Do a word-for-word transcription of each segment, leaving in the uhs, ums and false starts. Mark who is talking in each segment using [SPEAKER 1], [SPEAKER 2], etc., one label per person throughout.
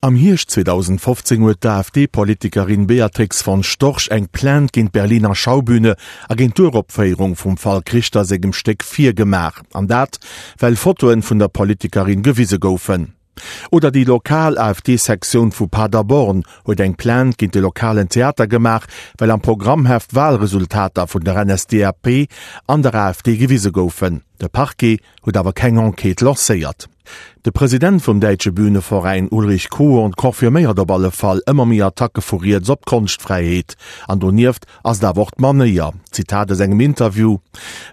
[SPEAKER 1] Am Hierscht zweedausendfofzéng huet d'AfD-Politikerin Beatrix von Storch eng Plainte géint d'Berliner Schaubühne a géint d'Uropféierung vum Falk Richter sengem Stéck Vier gemaach. An dat, well Fotoen vun der Politikerin gewise goufen. Oder déi lokal AfD-Sektioun vu Paderborn huet eng Plainte géint de lokalen Theater gemaach, well am Programmheft Walresultater vun der N S D A P an der A F D gewise goufen. De Parquet huet awer keng Enquête lancéiert. De President vum Däitsche Bühneveräin Ulrich Kuhn confirméiert op alle Fall ëmmer méi Attacke vu riets op d'Konschtfräiheet. An donieft ass et awer och d'Manéier. Zitat aus engem Interview: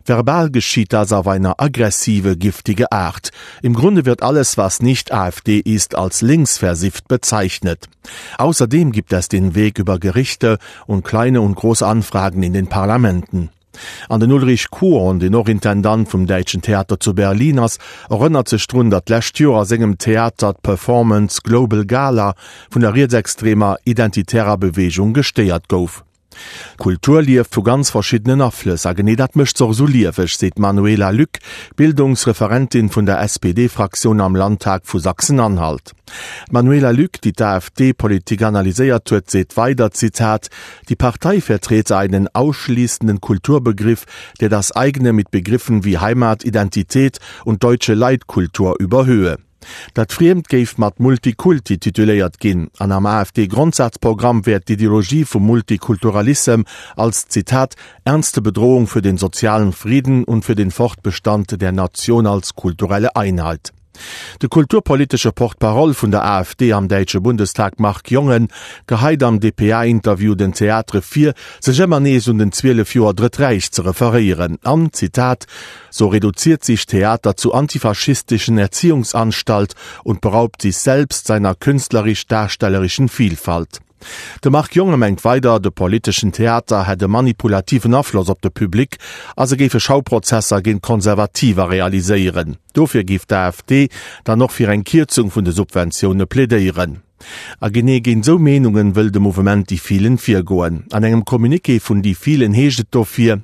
[SPEAKER 1] Verbal geschieht das auf eine aggressive, giftige Art. Im Grunde wird alles, was nicht A F D ist, als linksversifft bezeichnet. Außerdem gibt es den Weg über Gerichte und kleine und große Anfragen in den Parlamenten. An den Ulrich Kuhn, deen och Intendant vum Däitschen Theater zu Berlin ass, erënnert sech drun, datt d'lescht Joer a sengem Theater d'Performance Global Gala vun der rietsextremer Identitärer Bewegung gestéiert gouf. Kultur lieft vu ganz verschiddenen Aflëss a genee dat mécht se och esou lieweg, seet d'Manuela Lück, Bildungsreferentin vun der S P D-Fraktioun am Landtag vu Sachsen-Anhalt. D'Manuela Lück, déi d'AfD-Politik analyséiert huet, seet weider, Zitat, Die Partei vertrete einen ausschließenden Kulturbegriff, der das eigene mit Begriffen wie Heimat, Identität und deutsche Leitkultur überhöhe. Dat Friemt géif mat Multikulti tituléiert ginn, an am A F D-Grondsazprogramm wär d'Ideologie vum Multikulturalissem als, Zitat, ernste Bedrohung für den sozialen Frieden und für den Fortbestand der Nation als kulturelle Einheit. De kulturpolitesche Porte-parole vun der A F D am däitsche Bundestag Marc Jongen geheit am D P A-Interview den Theatere vir, sech ëmmer nees un den zwielef Joer Drëtt Räich ze referéieren an, Zitat, So reduziert sich Theater zu antifaschistischen Erziehungsanstalt und beraubt sich selbst seiner künstlerisch-darstellerischen Vielfalt. De Marc Jongen mengt weider, de politeschen Theater hätt e manipulativen Afloss op de Public a se géife Schauprozesser géint Konservativer realiséieren. Dofir géif d'A F D dann och fir eng Kierzung vun de Subventioune plädéieren. A genee géint sou Meenungen wëll de Mouvement Die Vielen virgoen. An engem Communiqué vun Die Vielen heescht et dofir,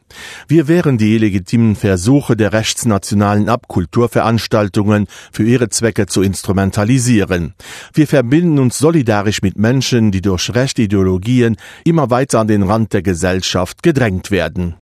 [SPEAKER 1] Wir wehren die illegitimen Versuche der Rechtsnationalen ab, Kulturveranstaltungen für ihre Zwecke zu instrumentalisieren. Wir verbinden uns solidarisch mit Menschen, die durch rechte Ideologien immer weiter an den Rand der Gesellschaft gedrängt werden.